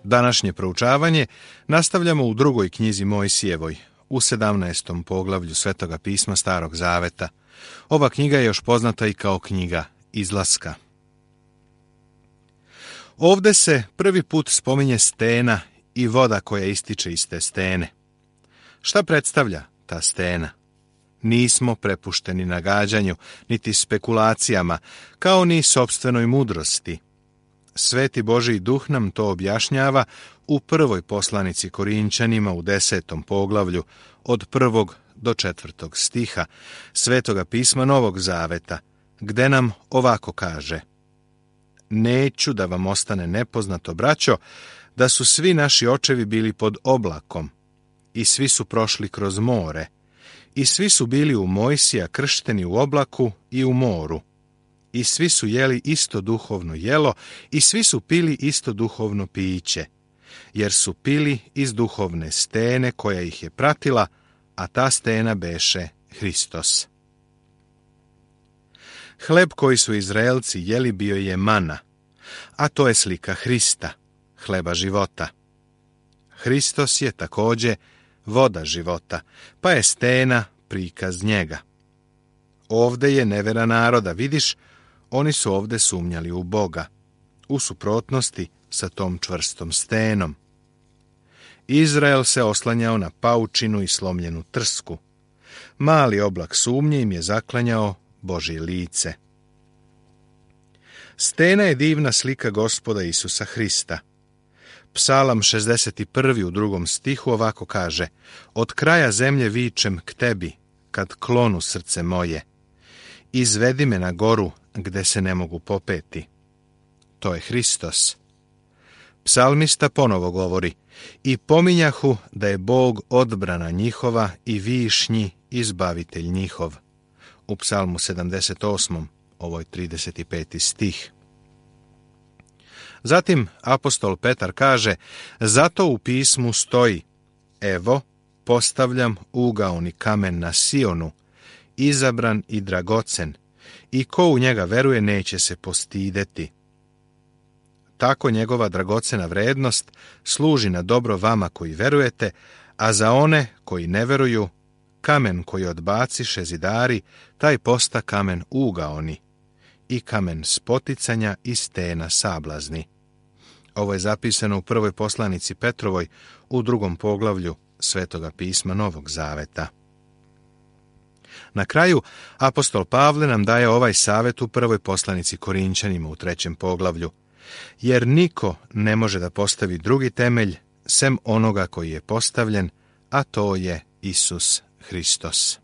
Današnje proučavanje nastavljamo u drugoj knjizi Mojsijevoj, u 17. poglavlju Svetoga pisma Starog Zaveta. Ova knjiga je još poznata i kao knjiga Izlaska. Ovde se prvi put spominje stena i voda koja ističe iz te stene. Šta predstavlja ta stena? Nismo prepušteni nagađanju, niti spekulacijama, kao ni sopstvenoj mudrosti. Sveti Božji duh nam to objašnjava u prvoj poslanici Korinčanima u 10. poglavlju od 1. do 4. stiha Svetoga pisma Novog Zaveta, gde nam ovako kaže: Neću da vam ostane nepoznato, braćo, da su svi naši očevi bili pod oblakom i svi su prošli kroz more i svi su bili u Mojsija kršteni u oblaku i u moru. I svi su jeli isto duhovno jelo i svi su pili isto duhovno piće, jer su pili iz duhovne stene koja ih je pratila, a ta stena beše Hristos. Hleb koji su Izraelci jeli bio je mana, a to je slika Hrista, hleba života. Hristos je također voda života, pa je stena prikaz njega. Ovde je nevera naroda, vidiš, oni su ovde sumnjali u Boga, u suprotnosti sa tom čvrstom stenom. Izrael se oslanjao na paučinu i slomljenu trsku. Mali oblak sumnje im je zaklanjao Božje lice. Stena je divna slika Gospoda Isusa Hrista. Psalam 61. u 2. stihu ovako kaže: Od kraja zemlje vičem k tebi, kad klonu srce moje. Izvedi me na goru, gde se ne mogu popeti. To je Hristos. Psalmista ponovo govori: I pominjahu da je Bog odbrana njihova i višnji izbavitelj njihov. U Psalmu 78. ovo je 35. stih. Zatim apostol Petar kaže: Zato u pismu stoji: Evo, postavljam ugaoni kamen na Sionu, izabran i dragocen, i ko u njega veruje neće se postideti. Tako njegova dragocena vrednost služi na dobro vama koji verujete, a za one koji ne veruju, kamen koji odbaciše zidari, taj posta kamen ugaoni, i kamen spoticanja i stena sablazni. Ovo je zapisano u prvoj poslanici Petrovoj u 2. poglavlju Svetoga pisma Novog Zaveta. Na kraju, apostol Pavle nam daje ovaj savjet u prvoj poslanici Korinčanima u 3. poglavlju: Jer niko ne može da postavi drugi temelj sem onoga koji je postavljen, a to je Isus Hristos.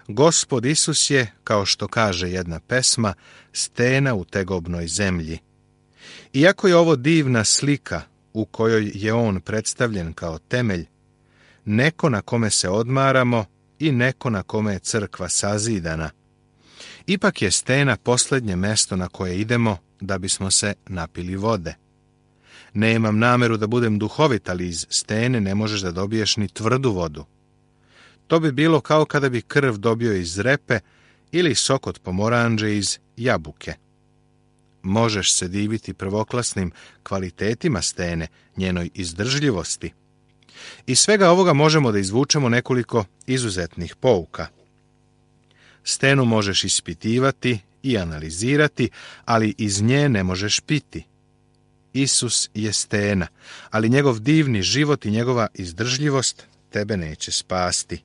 Gospod Isus je, kao što kaže jedna pesma, stena u tegobnoj zemlji. Iako je ovo divna slika u kojoj je on predstavljen kao temelj, neko na kome se odmaramo i neko na kome je crkva sazidana, ipak je stena posljednje mesto na koje idemo da bismo se napili vode. Nemam nameru da budem duhovit, ali iz stene ne možeš da dobiješ ni tvrdu vodu. To bi bilo kao kada bi krv dobio iz repe ili sok od pomoranđe iz jabuke. Možeš se diviti prvoklasnim kvalitetima stene, njenoj izdržljivosti. Iz svega ovoga možemo da izvučemo nekoliko izuzetnih pouka. Stenu možeš ispitivati i analizirati, ali iz nje ne možeš piti. Isus je stena, ali njegov divni život i njegova izdržljivost tebe neće spasti.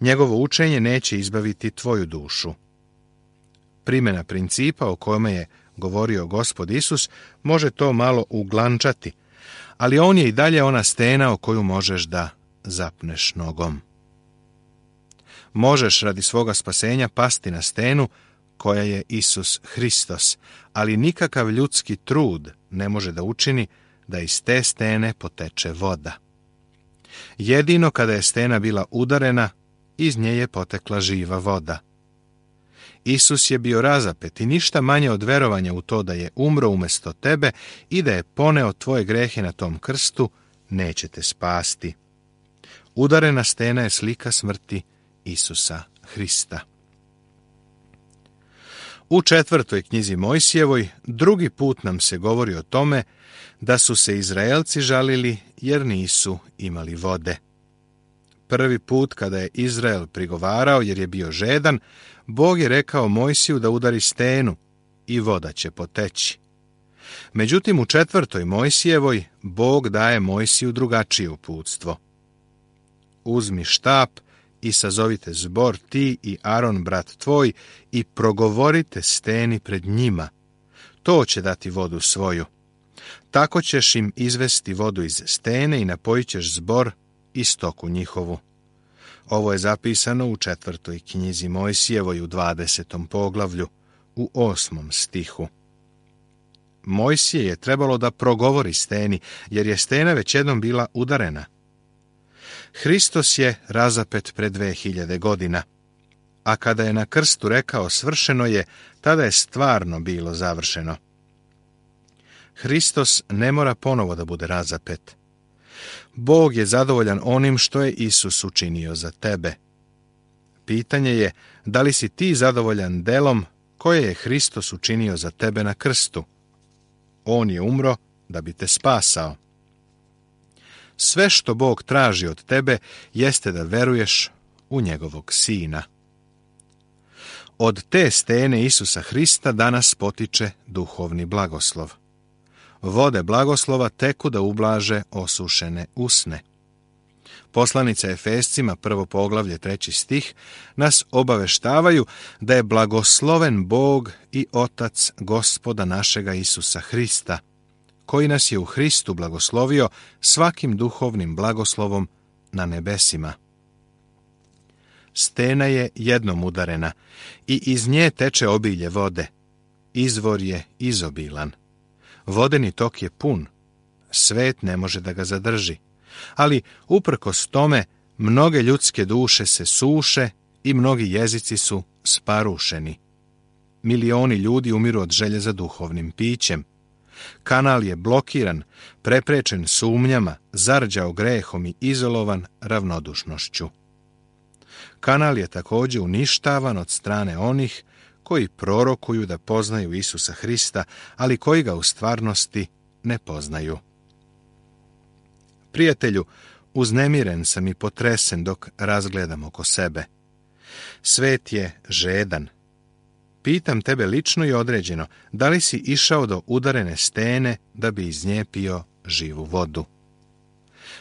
Njegovo učenje neće izbaviti tvoju dušu. Primjena principa o kome je govorio Gospod Isus može to malo uglančati, ali on je i dalje ona stena o koju možeš da zapneš nogom. Možeš radi svoga spasenja pasti na stenu koja je Isus Hristos, ali nikakav ljudski trud ne može da učini da iz te stene poteče voda. Jedino kada je stena bila udarena, iz nje je potekla živa voda. Isus je bio razapet i ništa manje od verovanja u to da je umro umjesto tebe i da je poneo tvoje grehe na tom krstu, neće te spasti. Udarena stena je slika smrti Isusa Hrista. U 4. knjizi Mojsijevoj drugi put nam se govori o tome da su se Izraelci žalili jer nisu imali vode. Prvi put kada je Izrael prigovarao jer je bio žedan, Bog je rekao Mojsiju da udari stenu i voda će poteći. Međutim, u 4. Mojsijevoj Bog daje Mojsiju drugačije uputstvo. Uzmi štap i sazovite zbor ti i Aron brat tvoj i progovorite steni pred njima. To će dati vodu svoju. Tako ćeš im izvesti vodu iz stene i napojit ćeš zbor i stoku njihovu. Ovo je zapisano u 4. knjizi Mojsijevoj u 20. poglavlju u 8. stihu. Mojsije je trebalo da progovori steni, jer je stena već jednom bila udarena. Hristos je razapet pred 2000 godina, a kada je na krstu rekao svršeno je, tada je stvarno bilo završeno. Hristos ne mora ponovo da bude razapet. Bog je zadovoljan onim što je Isus učinio za tebe. Pitanje je, da li si ti zadovoljan delom koje je Hristos učinio za tebe na krstu? On je umro da bi te spasao. Sve što Bog traži od tebe jeste da veruješ u njegovog Sina. Od te stene Isusa Hrista danas potiče duhovni blagoslov. Vode blagoslova teku da ublaže osušene usne. Poslanica Efescima, 1. poglavlje, 3. stih, nas obaveštavaju da je blagosloven Bog i Otac Gospoda našega Isusa Hrista, koji nas je u Hristu blagoslovio svakim duhovnim blagoslovom na nebesima. Stena je jednom udarena i iz nje teče obilje vode. Izvor je izobilan. Vodeni tok je pun. Svet ne može da ga zadrži. Ali, uprkos tome, mnoge ljudske duše se suše i mnogi jezici su sparušeni. Milioni ljudi umiru od želje za duhovnim pićem. Kanal je blokiran, preprečen sumnjama, zarđao grehom i izolovan ravnodušnošću. Kanal je također uništavan od strane onih koji prorokuju da poznaju Isusa Hrista, ali koji ga u stvarnosti ne poznaju. Prijatelju, uznemiren sam i potresen dok razgledam oko sebe. Svet je žedan. Pitam tebe lično i određeno, da li si išao do udarene stene da bi iz nje pio živu vodu?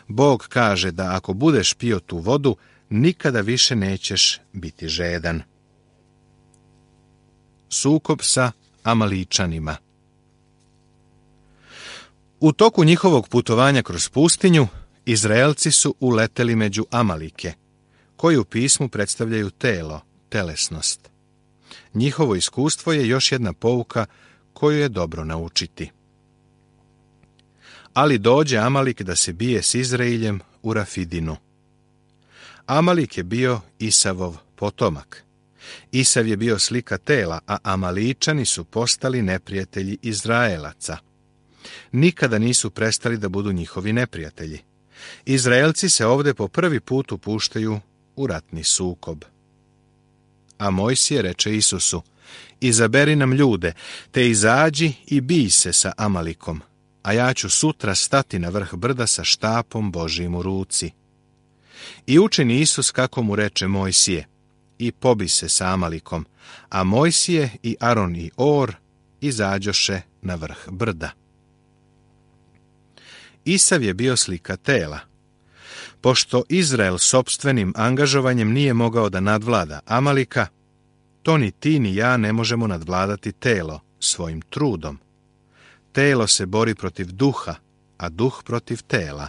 Bog kaže da ako budeš pio tu vodu, nikada više nećeš biti žedan. Sukob sa Amaličanima. U toku njihovog putovanja kroz pustinju, Izraelci su uleteli među Amalike, koji u pismu predstavljaju telo, telesnost. Njihovo iskustvo je još jedna pouka koju je dobro naučiti. Ali dođe Amalik da se bije s Izraeljem u Rafidinu. Amalik je bio Isavov potomak. Isav je bio slika tela, a Amaličani su postali neprijatelji Izraelaca. Nikada nisu prestali da budu njihovi neprijatelji. Izraelci se ovdje po prvi put upuštaju u ratni sukob. A Mojsije reče Isusu, izaberi nam ljude, te izađi i bij se sa Amalikom, a ja ću sutra stati na vrh brda sa štapom Božijim u ruci. I učini Isus kako mu reče Mojsije, i pobi se sa Amalikom, a Mojsije i Aron i Or izađoše na vrh brda. Isav je bio slika tela. Pošto Izrael sopstvenim angažovanjem nije mogao da nadvlada Amalika, to ni ti ni ja ne možemo nadvladati telo svojim trudom. Telo se bori protiv duha, a duh protiv tela.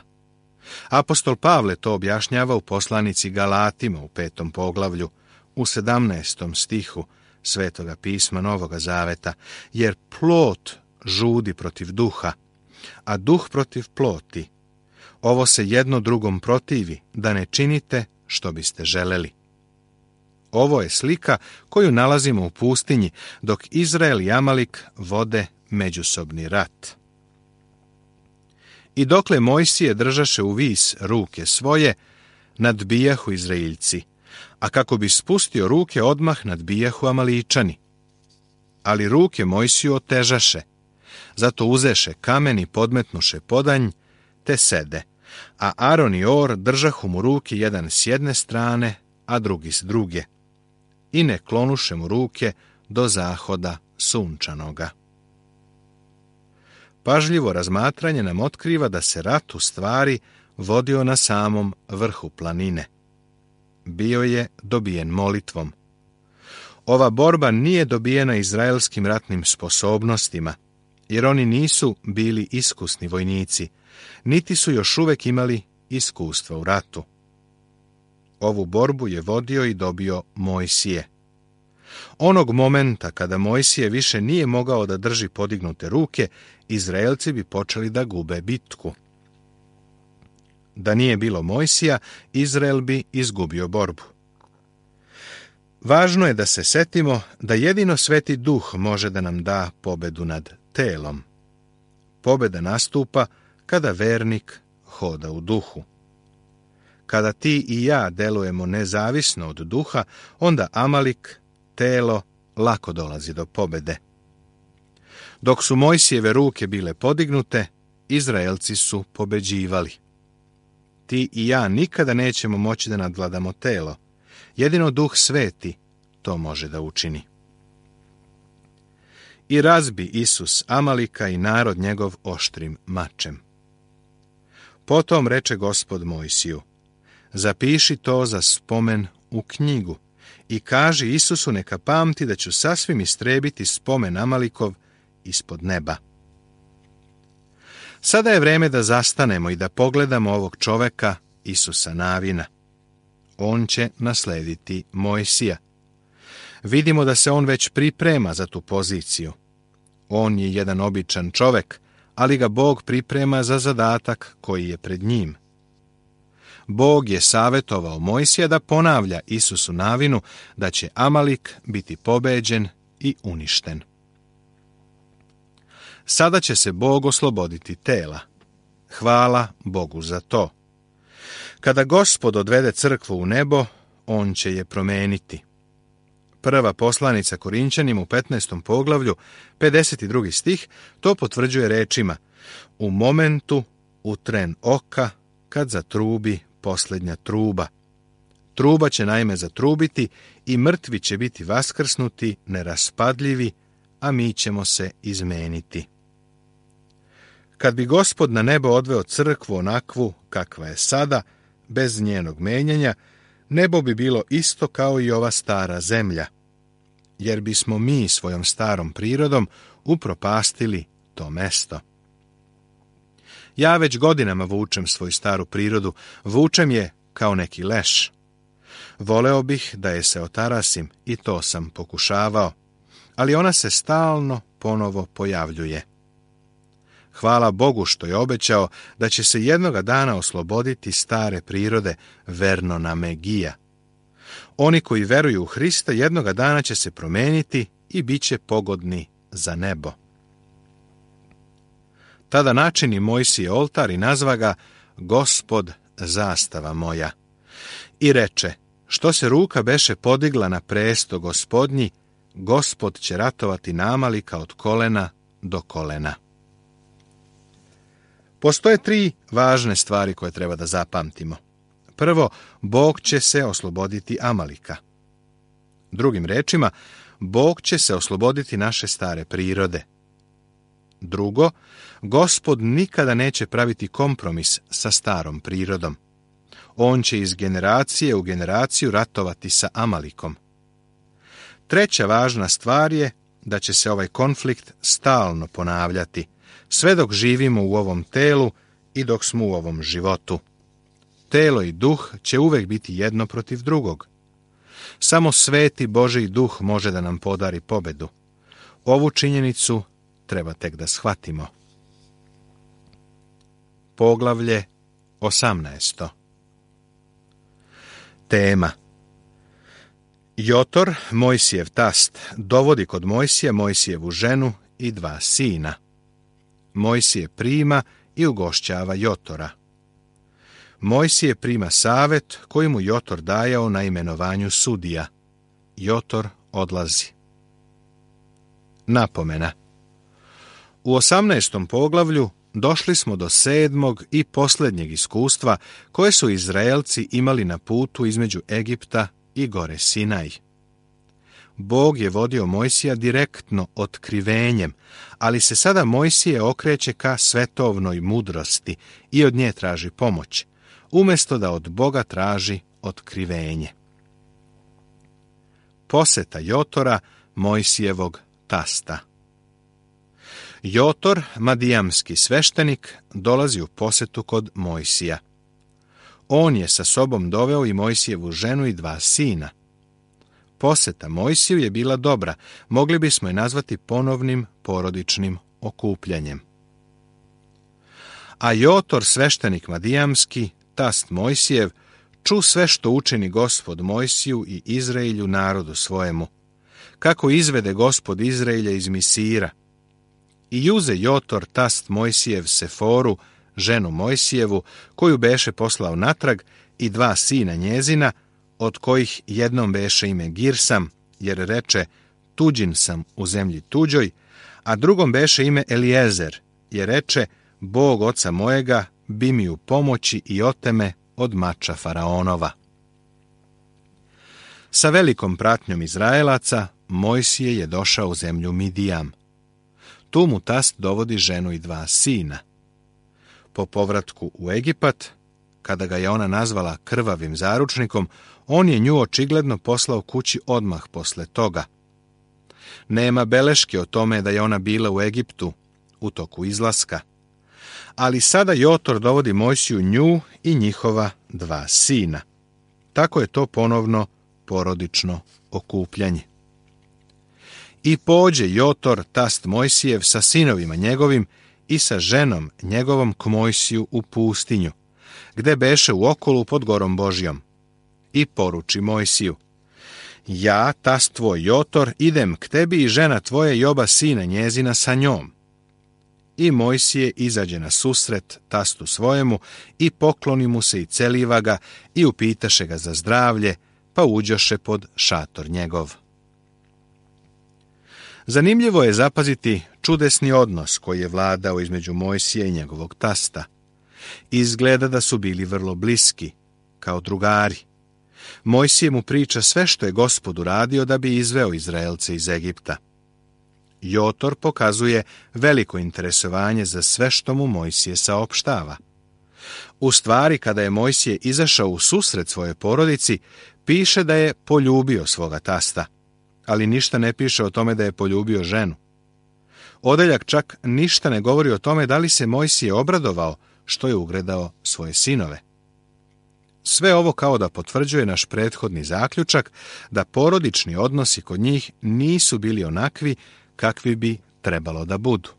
Apostol Pavle to objašnjava u poslanici Galatima u 5. poglavlju, u 17. stihu Svetoga pisma Novoga Zaveta, jer plot žudi protiv duha, a duh protiv ploti. Ovo se jedno drugom protivi, da ne činite što biste želeli. Ovo je slika koju nalazimo u pustinji, dok Izrael i Amalik vode međusobni rat. I dokle Mojsije držaše u vis ruke svoje, nadbijahu Izraeljci, a kako bi spustio ruke odmah nadbijahu Amaličani. ali ruke Mojsiju otežaše. Zato uzeše kamen i podmetnuše podanj, te sede. A Aron i Or držahu mu ruke jedan s jedne strane, a drugi s druge. I ne klonuše mu ruke do zahoda sunčanoga. Pažljivo razmatranje nam otkriva da se rat u stvari vodio na samom vrhu planine. Bio je dobijen molitvom. Ova borba nije dobijena izraelskim ratnim sposobnostima, jer oni nisu bili iskusni vojnici, niti su još uvijek imali iskustva u ratu. Ovu borbu je vodio i dobio Mojsije. Onog momenta kada Mojsije više nije mogao da drži podignute ruke, Izraelci bi počeli da gube bitku. Da nije bilo Mojsija, Izrael bi izgubio borbu. Važno je da se setimo da jedino Sveti Duh može da nam da pobedu nad telom. Pobeda nastupa kada vernik hoda u duhu. Kada ti i ja delujemo nezavisno od duha, onda Amalik, telo, lako dolazi do pobede. Dok su Mojsijeve ruke bile podignute, Izraelci su pobeđivali. Ti i ja nikada nećemo moći da nadvladamo telo. Jedino Duh Sveti to može da učini. I razbi Isus Amalika i narod njegov oštrim mačem. Potom reče Gospod Mojsiju: zapiši to za spomen u knjigu i kaži Isusu neka pamti da ću sasvim istrebiti spomen Amalikov ispod neba. Sada je vreme da zastanemo i da pogledamo ovog čoveka, Isusa Navina. On će naslediti Mojsija. Vidimo da se on već priprema za tu poziciju. On je jedan običan čovek, ali ga Bog priprema za zadatak koji je pred njim. Bog je savjetovao Mojsija da ponavlja Isusu Navinu da će Amalik biti pobeđen i uništen. Sada će se Bog osloboditi tela. Hvala Bogu za to. Kada Gospod odvede crkvu u nebo, on će je promeniti. Prva poslanica Korinćanima u 15. poglavlju, 52. stih, to potvrđuje rečima: u momentu, u tren oka, kad zatrubi posljednja truba. Truba će naime zatrubiti i mrtvi će biti vaskrsnuti, neraspadljivi, a mi ćemo se izmeniti. Kad bi Gospod na nebo odveo crkvu onakvu kakva je sada, bez njenog menjanja, nebo bi bilo isto kao i ova stara zemlja, jer bismo mi svojom starom prirodom upropastili to mesto. Ja već godinama vučem svoju staru prirodu, vučem je kao neki leš. Voleo bih da je se otarasim i to sam pokušavao, ali ona se stalno ponovo pojavljuje. Hvala Bogu što je obećao da će se jednoga dana osloboditi stare prirode Vernona Megija. Oni koji veruju u Hrista jednoga dana će se promeniti i bit će pogodni za nebo. Tada načini Mojsije oltar i nazva ga Gospod zastava moja. I reče: što se ruka beše podigla na presto Gospodnji, Gospod će ratovati na Amalika od kolena do kolena. Postoje 3 važne stvari koje treba da zapamtimo. Prvo, Bog će se osloboditi Amalika. Drugim rečima, Bog će se osloboditi naše stare prirode. Drugo, Gospod nikada neće praviti kompromis sa starom prirodom. On će iz generacije u generaciju ratovati sa Amalikom. Treća važna stvar je da će se ovaj konflikt stalno ponavljati, sve dok živimo u ovom telu i dok smo u ovom životu. Telo i duh će uvek biti jedno protiv drugog. Samo sveti Božji duh može da nam podari pobedu. Ovu činjenicu treba tek da shvatimo. Poglavlje 18. Tema: Jotor, Mojsijev tast, dovodi kod Mojsija Mojsijevu ženu i 2 sina. Mojsije prima i ugošćava Jotora. Mojsije prima savet koji mu Jotor dajao na imenovanju sudija. Jotor odlazi. Napomena. U 18. poglavlju došli smo do 7. i posljednjeg iskustva koje su Izraelci imali na putu između Egipta i gore Sinaj. Bog je vodio Mojsija direktno otkrivenjem, ali se sada Mojsije okreće ka svetovnoj mudrosti i od nje traži pomoć, umjesto da od Boga traži otkrivenje. Poseta Jotora, Mojsijevog tasta. Jotor, madijamski sveštenik, dolazi u posetu kod Mojsija. On je sa sobom doveo i Mojsijevu ženu i 2 sina. Poseta Mojsiju je bila dobra, mogli bismo je nazvati ponovnim porodičnim okupljanjem. A Jotor, sveštenik madijamski, tast Mojsijev, ču sve što učini Gospod Mojsiju i Izraelju narodu svojemu, kako izvede Gospod Izraelja iz Misira. I uze Jotor, tast Mojsijev, Seforu, ženu Mojsijevu, koju beše poslao natrag, i 2 sina njezina, od kojih jednom beše ime Girsam, jer reče, tuđin sam u zemlji tuđoj, a drugom beše ime Eliezer, jer reče, Bog oca mojega bi mi u pomoći i oteme od mača faraonova. Sa velikom pratnjom Izraelaca, Mojsije je došao u zemlju Midijam. Tu mu tast dovodi ženu i 2 sina. Po povratku u Egipat, kada ga je ona nazvala krvavim zaručnikom, on je nju očigledno poslao kući odmah posle toga. Nema beleške o tome da je ona bila u Egiptu u toku izlaska. Ali sada Jotor dovodi Mojsiju nju i njihova 2 sina. Tako je to ponovno porodično okupljanje. I pođe Jotor, tast Mojsijev, sa sinovima njegovim i sa ženom njegovom k Mojsiju u pustinju, gde beše u okolu pod gorom Božjom. I poruči Mojsiju, ja, tast tvoj Jotor, idem k tebi i žena tvoja i 2 sina njezina sa njom. I Mojsije izađe na susret tastu svojemu i pokloni mu se i celiva ga i upitaše ga za zdravlje, pa uđoše pod šator njegov. Zanimljivo je zapaziti čudesni odnos koji je vladao između Mojsija i njegovog tasta. Izgleda da su bili vrlo bliski, kao drugari. Mojsije mu priča sve što je Gospod uradio da bi izveo Izraelce iz Egipta. Jotor pokazuje veliko interesovanje za sve što mu Mojsije saopštava. U stvari, kada je Mojsije izašao u susret svojoj porodici, piše da je poljubio svoga tasta, ali ništa ne piše o tome da je poljubio ženu. Odeljak čak ništa ne govori o tome da li se Mojsije obradovao što je ugledao svoje sinove. Sve ovo kao da potvrđuje naš prethodni zaključak da porodični odnosi kod njih nisu bili onakvi kakvi bi trebalo da budu.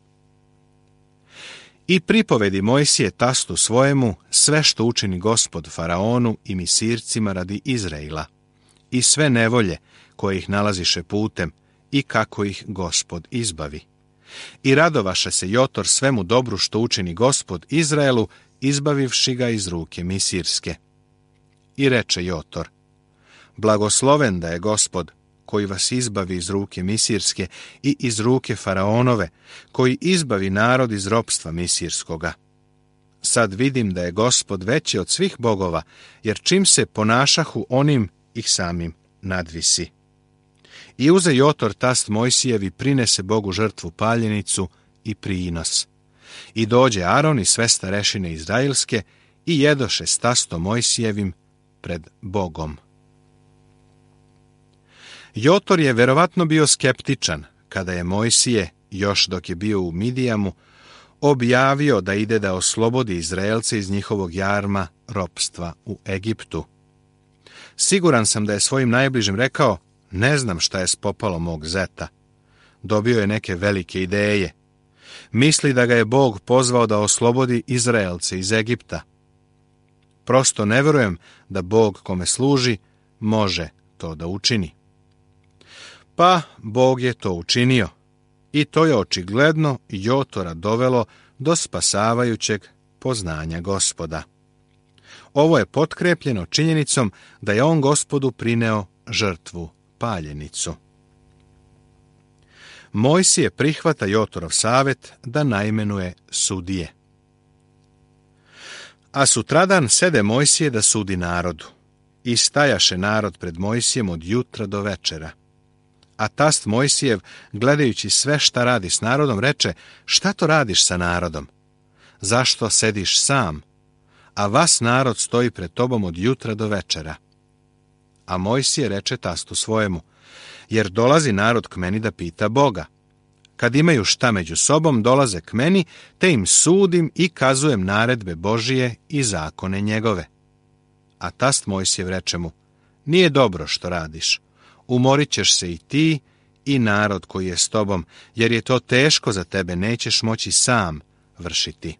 I pripovedi Mojsije tastu svojemu sve što učini Gospod faraonu i Misircima radi Izraela, i sve nevolje koje ih nalaziše putem i kako ih Gospod izbavi. I radovaše se Jotor svemu dobru što učini Gospod Izraelu, izbavivši ga iz ruke Misirske. I reče Jotor, blagosloven da je Gospod, koji vas izbavi iz ruke Misirske i iz ruke faraonove, koji izbavi narod iz ropstva Misirskoga. Sad vidim da je Gospod veći od svih bogova, jer čim se ponašahu onim ih samim nadvisi. I uze Jotor tast Mojsijev i prinese Bogu žrtvu paljenicu i prinos. I dođe Aron i sve starešine izraelske i jedoše s tastom Mojsijevim pred Bogom. Jotor je verovatno bio skeptičan kada je Mojsije, još dok je bio u Midijamu, objavio da ide da oslobodi Izraelce iz njihovog jarma ropstva u Egiptu. Siguran sam da je svojim najbližim rekao, ne znam šta je spopalo mog zeta. Dobio je neke velike ideje. Misli da ga je Bog pozvao da oslobodi Izraelce iz Egipta. Prosto ne verujem da Bog kome služi može to da učini. Pa Bog je to učinio i to je očigledno Jotora dovelo do spasavajućeg poznanja Gospoda. Ovo je potkrepljeno činjenicom da je on Gospodu prineo žrtvu paljenicu. Mojsije prihvata Jotorov savjet da naimenuje sudije. A sutradan sede Mojsije da sudi narodu. I stajaše narod pred Mojsijem od jutra do večera. A tast Mojsijev, gledajući sve šta radi s narodom, reče: šta to radiš sa narodom? Zašto sediš sam? A vas narod stoji pred tobom od jutra do večera. A Mojsije reče tastu svojemu: jer dolazi narod k meni da pita Boga. Kad imaju šta među sobom, dolaze k meni, te im sudim i kazujem naredbe Božije i zakone njegove. A tast Mojsijev reče mu: nije dobro što radiš. Umorit ćeš se i ti i narod koji je s tobom, jer je to teško za tebe, nećeš moći sam vršiti.